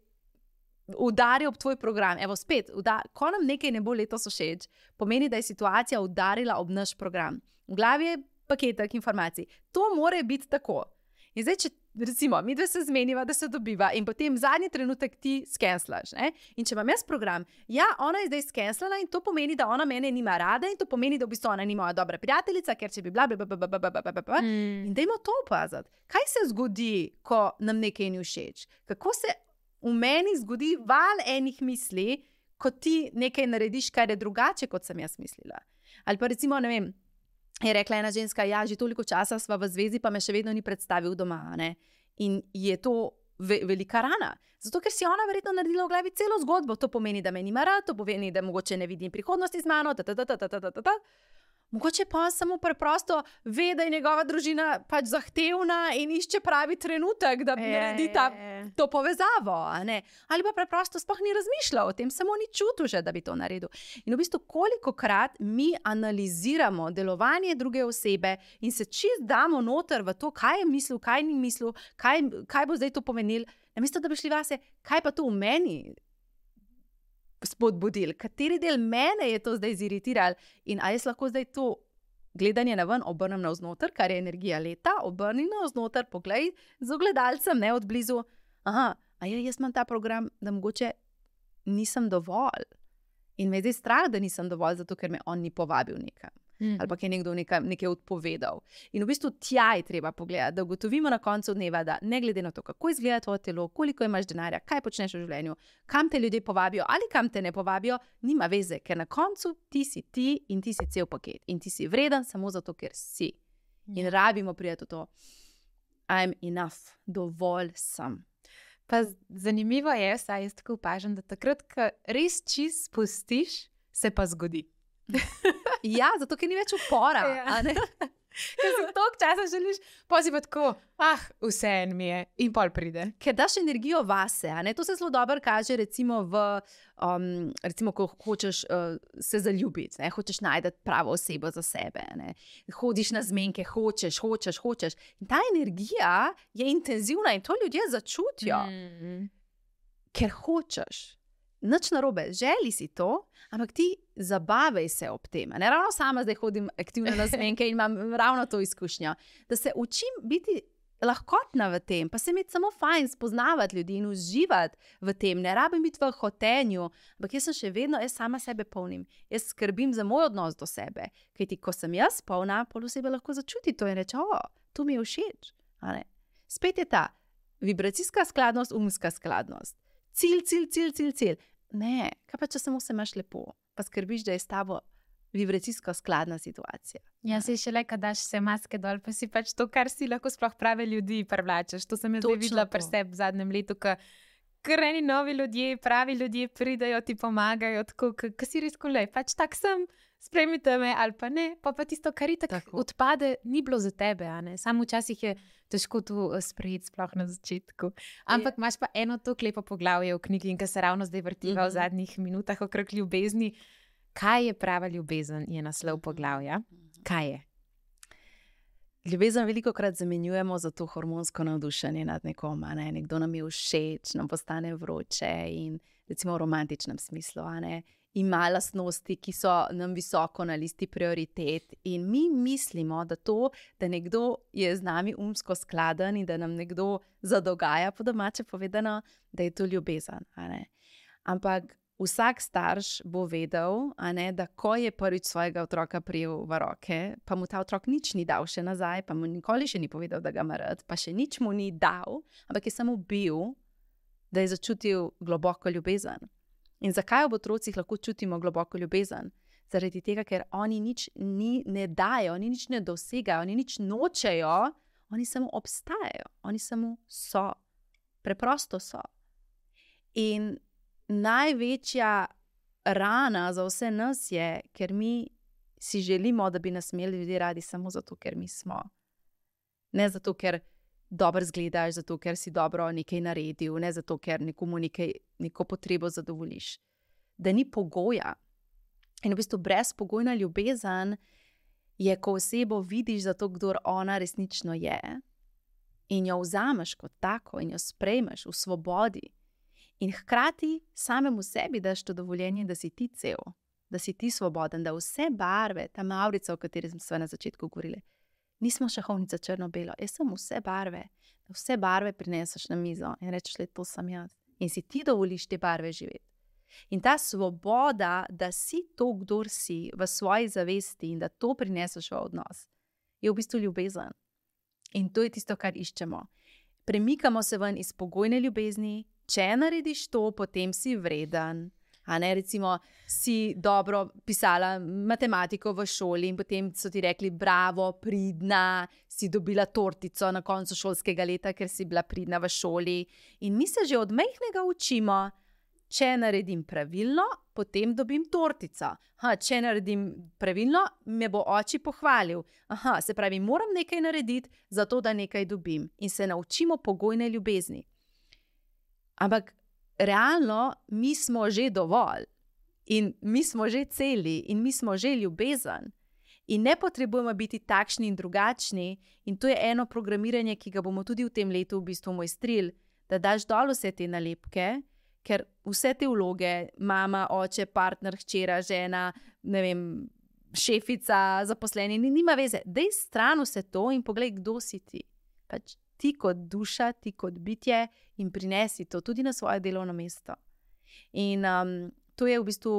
udari ob tvoj program. Evo spet, ko nam nekaj ne bo letos všeč, pomeni, da je situacija udarila ob naš program. V glavi je paketek informacij. To mora biti tako. In zdaj, če recimo, mi dve se zmeniva, da se dobiva in potem zadnji trenutek ti skenslaš. Ne? In če imam jaz program, ona je zdaj skenslala in to pomeni, da ona mene nima rada in to pomeni, da v bistvu ona ni moja dobra prijateljica, ker če bi bila in dajmo to opaziti. Kaj se zgodi, ko nam nekaj ni všeč? Kako se v meni zgodi val enih misli, ko ti nekaj narediš, kar je drugače, kot sem jaz mislila. Ali pa recimo, ne vem, je rekla ena ženska, že toliko časa sva v zvezi, pa me še vedno ni predstavil doma. Ne? In je to velika rana. Zato, ker si ona verjetno naredila v glavi celo zgodbo. To pomeni, da me nima rad, to pomeni, da mogoče ne vidim prihodnosti z mano, Mogoče pa samo preprosto ve, da je njegova družina pač zahtevna in išče pravi trenutek, da naredi to povezavo. Ali pa preprosto sploh ni razmišljal o tem, samo ni čutil že, da bi to naredil. In v bistvu kolikokrat mi analiziramo delovanje druge osebe in se čist damo noter v to, kaj je mislil, kaj ni mislil, kaj bo zdaj to pomenil. Namesto da bi šli vase, kaj pa to v meni spodbudil, kateri del mene je to zdaj ziritiral in a jaz lahko zdaj to gledanje na ven obrnem navznoter, kar je energija leta, obrni navznoter, poglej z ogledalcem, ne od blizu, jaz imam ta program, da mogoče nisem dovolj in me je zdaj strah, da nisem dovolj, zato ker me on ni povabil nekam. Ali pa je nekdo nekaj odpovedal. In v bistvu tja je treba pogledati, da ugotovimo na koncu dneva, da ne glede na to, kako izgleda tvoje telo, koliko imaš denarja, kaj počneš v življenju, kam te ljudje povabijo ali kam te ne povabijo, nima veze, ker na koncu ti si ti in ti si cel paket. In ti si vreden samo zato, ker si. In rabimo prijeti to. I'm enough, dovolj sem.
Pa zanimivo je, saj jaz tako opažam, da takrat, ko res čist spustiš, se pa zgodi.
Ja, zato ker ni več upora.
Ker si toliko časa želiš, pa si pa tako, vse en mi je in pol pride.
Ker daš energijo vase, to se zelo dobro kaže recimo ko hočeš se zaljubiti, hočeš najti pravo osebo za sebe, hodiš na zmenke, hočeš. In ta energija je intenzivna in to ljudje začutijo, ker hočeš. Nič narobe, želi si to, ampak ti zabavaj se ob tem. Ne ravno sama zdaj hodim aktivno na zmenke in imam ravno to izkušnjo, da se učim biti lahkotna v tem, pa se mi samo fajn spoznavati ljudi in uživati v tem. Ne rabim biti v hotenju, ampak jaz sem še vedno, jaz sama sebe polnim. Jaz skrbim za moj odnos do sebe, kajti ko sem jaz polna, pol osebe lahko začuti to in reče, to mi je všeč. Spet je ta vibracijska skladnost, umska skladnost. Cilj. Ne, kaj pa če samo se imaš lepo, pa skrbiš, da je s tabo vibracijsko skladna situacija.
Ja, se še le, kad daš vse maske dol, pa si pač to, kar si lahko sploh prave ljudi privlačeš. To sem jaz zdaj videla pri sebi v zadnjem letu, ker eni novi ljudje, pravi ljudje pridajo, ti pomagajo, tako, ker si res kolej, pač tak sem, sprejmite me ali pa ne, pa tisto, kar tako odpade, ni bilo za tebe, Samo včasih je težko to sprejeti, sploh na začetku. Ampak imaš pa eno to lepo poglavje v knjigi, in ki se ravno zdaj vrtiva v zadnjih minutah okrog ljubezni. Kaj je prava ljubezen, je naslov poglavja. Kaj je?
Ljubezen veliko krat zamenjujemo za to hormonsko navdušenje nad nekom, a ne? Nekdo nam je všeč, nam postane vroče in recimo v romantičnem smislu, a ne? Ima lastnosti, ki so nam visoko na listi prioritet in mi mislimo, da to, da nekdo je z nami umsko skladen in da nam nekdo zadogaja, po domače povedano, da je to ljubezen, a ne? Ampak vsak starš bo vedel, a ne, da ko je prvič svojega otroka prijel v roke, pa mu ta otrok nič ni dal še nazaj, pa mu nikoli še ni povedal, da ga ima rad, pa še nič mu ni dal, ampak je samo bil, da je začutil globoko ljubezen. In zakaj ob otrocih lahko čutimo globoko ljubezen? Zaradi tega, ker oni nič ne dajo, oni nič ne dosegajo, oni nič nočejo, oni samo obstajajo, oni samo so. Preprosto so. In največja rana za vse nas je, ker mi si želimo, da bi nas imeli ljudje radi samo zato, ker mi smo. Ne zato, ker dobro izgledaš, zato, ker si dobro nekaj naredil, ne zato, ker nekomu neko potrebo zadovoljiš. Da ni pogoja. In v bistvu brezpogojna ljubezen je, ko osebo vidiš za to, kdor ona resnično je, in jo vzameš kot tako in jo sprejmeš v svobodi. In hkrati samemu sebi daš to dovoljenje, da si ti cel, da si ti svoboden, da vse barve, ta mavrica, o kateri smo na začetku govorili, nismo šahovnica črno-belo, jaz sem vse barve, da vse barve prineseš na mizo in rečeš, le to sem jaz. In si ti dovoliš te barve živeti. In ta svoboda, da si to, kdor si v svoji zavesti in da to prineseš v odnos, je v bistvu ljubezen. In to je tisto, kar iščemo. Premikamo se ven iz pogojne ljubezni. Če narediš to, potem si vreden. A ne, recimo, si dobro pisala matematiko v šoli in potem so ti rekli, bravo, pridna, si dobila tortico na koncu šolskega leta, ker si bila pridna v šoli. In mi se že od majhnega učimo, če naredim pravilno, potem dobim tortico. Če naredim pravilno, me bo oči pohvalil. Se pravi, moram nekaj narediti, zato da nekaj dobim. In se naučimo pogojne ljubezni. Ampak realno mi smo že dovolj in mi smo že celi in mi smo že ljubezen in ne potrebujemo biti takšni in drugačni in to je eno programiranje, ki ga bomo tudi v tem letu v bistvu mojstrili, da daš dol vse te nalepke, ker vse te vloge, mama, oče, partner, hčera, žena, ne vem, šefica, zaposleni, nima veze. Dej stran vse to in poglej, kdo si ti. Pač ti kot duša, ti kot bitje in prinesi to tudi na svoje delovno mesto. In to je v bistvu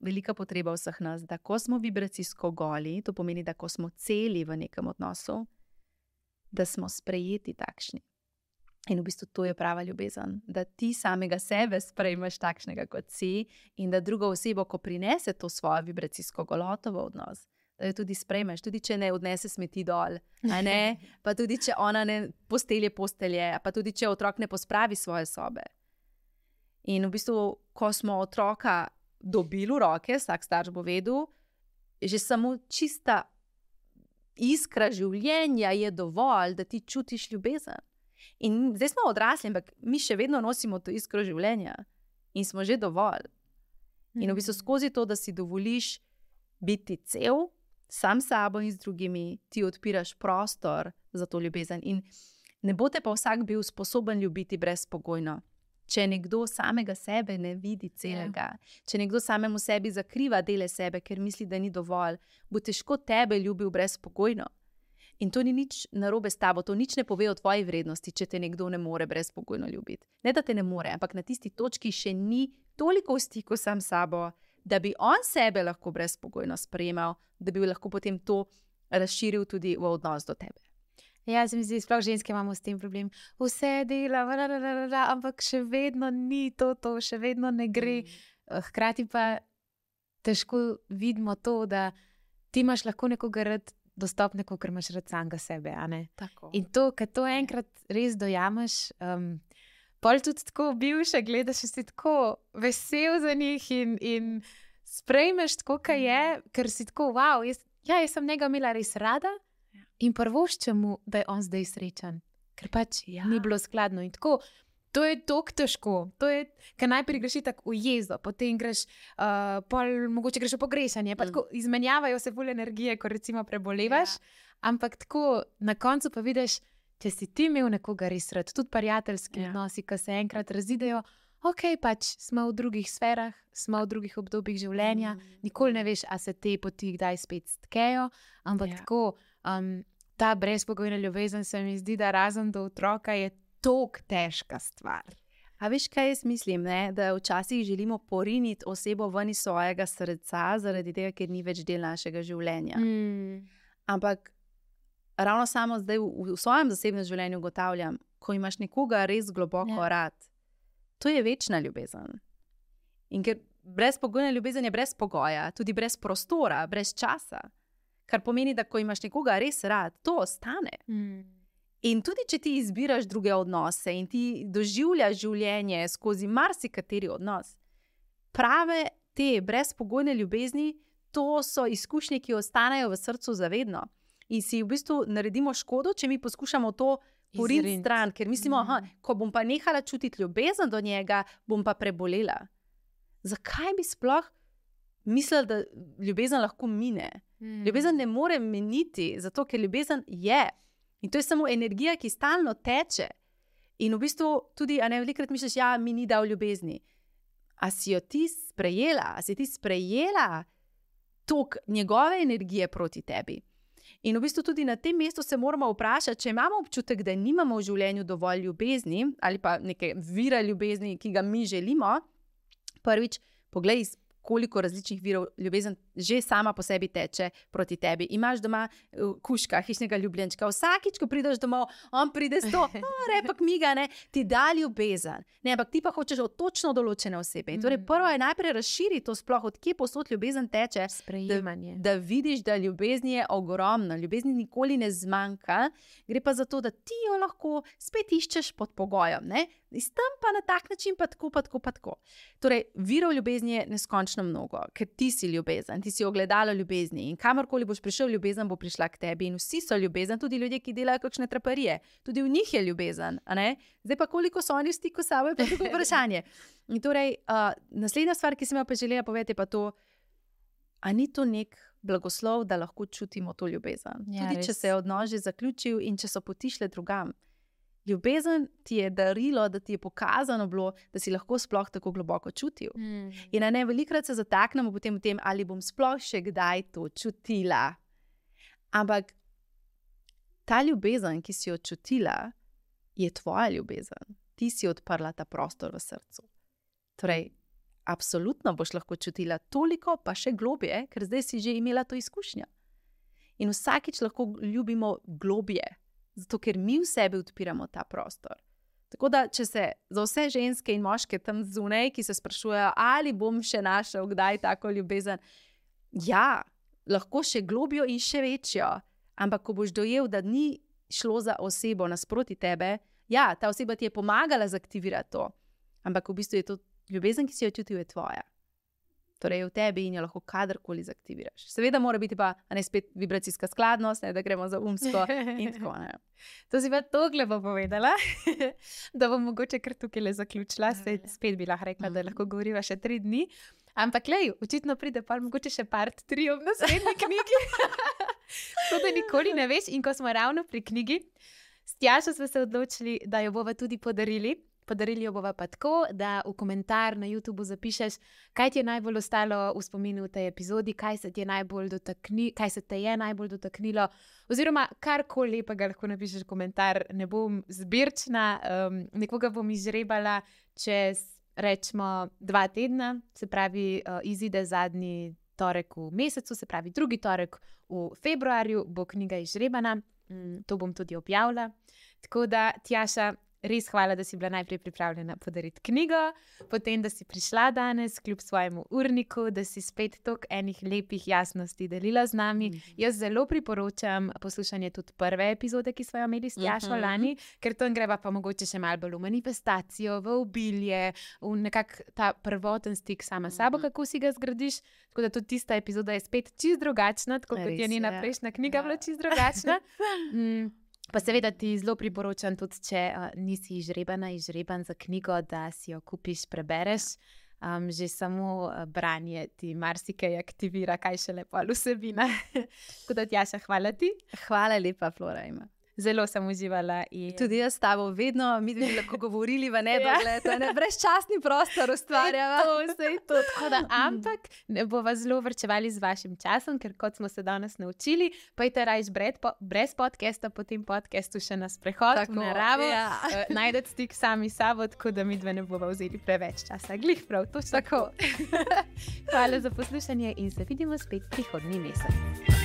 velika potreba vseh nas, da ko smo vibracijsko goli, to pomeni, da ko smo celi v nekem odnosu, da smo sprejeti takšni. In v bistvu to je prava ljubezen, da ti samega sebe sprejmeš takšnega, kot si in da drugo osebo, ko prinese to svojo vibracijsko goloto v odnos, da jo tudi sprejmeš, tudi če ne odnese smeti dol, pa tudi če ona ne postelje, pa tudi če otrok ne pospravi svoje sobe. In v bistvu, ko smo otroka dobili v roke, vsak starš bo vedel, že samo čista iskra življenja je dovolj, da ti čutiš ljubezen. In zdaj smo odrasli, ampak mi še vedno nosimo to iskro življenja in smo že dovolj. In v bistvu skozi to, da si dovoliš biti cel, sam sabo in z drugimi, ti odpiraš prostor za to ljubezen. In ne bo te pa vsak bil sposoben ljubiti brezpogojno. Če nekdo samega sebe ne vidi celega, če nekdo samemu sebi zakriva dele sebe, ker misli, da ni dovolj, bo težko tebe ljubil brezpogojno. In to ni nič narobe s tabo, to nič ne pove o tvoji vrednosti, če te nekdo ne more brezpogojno ljubiti. Ne, da te ne more, ampak na tisti točki še ni toliko v stiku sam sabo, da bi on sebe lahko brezpogojno sprejemal, da bi lahko potem to razširil tudi v odnos do tebe.
Ja, se mi zdi, sploh ženske imamo s tem problem. Vse dela, ampak še vedno ni to, še vedno ne gre. Hkrati pa težko vidimo to, da ti imaš lahko nekoga rad dostopnega, ker imaš rad samega sebe.
Tako.
In to, kad to enkrat res dojameš, pol tudi tako bivše gledaš, si tako vesel za njih in sprejmeš tako, kaj je, ker si tako, wow, jaz sem njega imela res rada in prvoščem mu, da je on zdaj srečen, ker pač ni bilo skladno. In tako To je tako težko. Ker najprej greš tako v jezo, potem greš, mogoče greš v pogrešanje, pa tako izmenjavajo se bolj energije, ko recimo prebolevaš. Ampak tako na koncu pa vidiš, če si ti imel nekoga res rad, tudi prijateljski odnosi, ki se enkrat razidejo, ok, pač smo v drugih sferah, smo v drugih obdobjih življenja, nikoli ne veš, a se te poti kdaj spet stkejo, ampak tako ta brezpogojna ljubezen se mi zdi, da razen do otroka je tako težka stvar.
A veš, kaj jaz mislim, ne? Da včasih želimo poriniti osebo ven iz svojega srca, zaradi tega, ker ni več del našega življenja. Ampak ravno samo zdaj v svojem zasebnem življenju ugotavljam, ko imaš nekoga res globoko rad, to je večna ljubezen. In ker brezpogojna ljubezen je brez pogoja, tudi brez prostora, brez časa. Kar pomeni, da ko imaš nekoga res rad, to ostane. In tudi, če ti izbiraš druge odnose in ti doživljaš življenje skozi marsikateri odnos, prave te brezpogojne ljubezni, to so izkušnje, ki ostanejo v srcu zavedno. In si v bistvu naredimo škodo, če mi poskušamo to poriniti stran, ker mislimo, ko bom pa nehala čutiti ljubezen do njega, bom pa prebolela. Zakaj bi sploh mislila, da ljubezen lahko mine? Ljubezen ne more miniti, zato ker ljubezen je. In to je samo energija, ki stalno teče. In v bistvu tudi, velikokrat misliš, mi ni dal ljubezni. A si jo ti sprejela? A si ti sprejela tok njegove energije proti tebi? In v bistvu tudi na tem mestu se moramo vprašati, če imamo občutek, da nimamo v življenju dovolj ljubezni ali pa neke vira ljubezni, ki ga mi želimo. Prvič, poglej, koliko različnih virov ljubezen že sama po sebi teče proti tebi. Imaš doma kužka, hišnega ljubljenčka. Vsakič, ko prideš domov, on pride s to, repak miga, ti da ljubezen. Ne, ampak ti pa hočeš od točno določene osebe. In torej prvo je najprej razširiti to sploh, od kje posod ljubezen teče.
Sprejemanje.
Da vidiš, da ljubezni je ogromno. Ljubezni nikoli ne zmanjka. Gre pa za to, da ti jo lahko spet iščeš pod pogojem. Ne? In tam pa na tak način pa tako. Torej, virov ljubezni je neskončno mnogo, ker ti si ljubezen, ti si ogledalo ljubezni in kamorkoli boš prišel, ljubezen bo prišla k tebi in vsi so ljubezen, tudi ljudje, ki delajo kakšne traparije, tudi v njih je ljubezen, a ne? Zdaj pa koliko so oni v stiku s sabo, je pa drugo vprašanje. In torej, naslednja stvar, ki sem jo pa želela povedati, je pa to, a ni to nek blagoslov, da lahko čutimo to ljubezen. Ja, tudi če se je odnos že zaključil in če so poti šle drugam. Ljubezen ti je darilo, da ti je pokazano bilo, da si lahko sploh tako globoko čutil. In velikokrat se zataknemo potem v tem, ali bom sploh še kdaj to čutila. Ampak ta ljubezen, ki si jo čutila, je tvoja ljubezen. Ti si odprla ta prostor v srcu. Torej, absolutno boš lahko čutila toliko, pa še globje, ker zdaj si že imela to izkušnjo. In vsakič lahko ljubimo globje. Zato, ker mi v sebi odpiramo ta prostor. Tako da, če se za vse ženske in moške tam zunaj, ki se sprašujejo, ali bom še našel kdaj tako ljubezen, ja, lahko še globjo in še večjo, ampak ko boš dojel, da ni šlo za osebo nasproti tebe, ja, ta oseba ti je pomagala zaktivirati to, ampak v bistvu je to ljubezen, ki si jo čutil, je tvoja. Torej je v tebi in jo lahko kadarkoli zaktiviraš. Seveda mora biti pa spet vibracijska skladnost, da gremo za umsko in tako ne.
To si pa tako lepo povedala, da bom mogoče kar tukaj le zaključila. Spet bi lahko rekla, da lahko govoriva še 3 dni. Ampak lej, očitno pride pa mogoče še part 3 ob naslednji knjigi. To, da nikoli ne veš. In ko smo ravno pri knjigi, s Tjašo smo se odločili, da jo bova tudi podarili. Podarili jo bova pa tako, da v komentar na YouTubu zapišeš, kaj ti je najbolj ostalo v spominu v tej epizodi, kaj se te je najbolj dotaknilo, oziroma karkoli lepega lahko napišeš komentar. Ne bom zbirčna, nekoga bom izžrebala čez, rečemo, 2 tedna, se pravi, izide zadnji torek v mesecu, se pravi, drugi torek v februarju bo knjiga izžrebana, to bom tudi objavila. Tako da, Tjaša, res hvala, da si bila najprej pripravljena podariti knjigo, potem, da si prišla danes kljub svojemu urniku, da si spet toliko enih lepih jasnosti delila z nami. Jaz zelo priporočam poslušanje tudi prve epizode, ki smo jo imeli s Tjašo lani, ker to greva pa mogoče še malo bolj v manifestacijo, v obilje, v nekak ta prvoten stik sama s sabo, kako si ga zgradiš. Tako da tudi tista epizoda je spet čisto drugačna, tako kot je njena prejšnja knjiga bila čisto drugačna. Pa seveda ti zelo priporočam tudi, če nisi izžreban za knjigo, da si jo kupiš, prebereš. Že samo branje ti marsikaj aktivira, kaj šele pol vsebina. Tako da, Tjaša, hvala ti.
Hvala lepa, Flora.
Zelo sem uživala.
Tudi jaz s tabo vedno, mi bi lahko govorili v nedogled, brezčasni prostor ustvarjava.
To. Ampak ne bova zelo vrčevali z vašim časom, ker kot smo se danes naučili, pojte rajš brez podcasta, po tem podcastu še na sprehod v naravo. Ja. Najdete stik sami s sabo, tako da mi dve ne bova vzeli preveč časa. Glih prav, to tako. Hvala za poslušanje in se vidimo spet prihodnji mesec.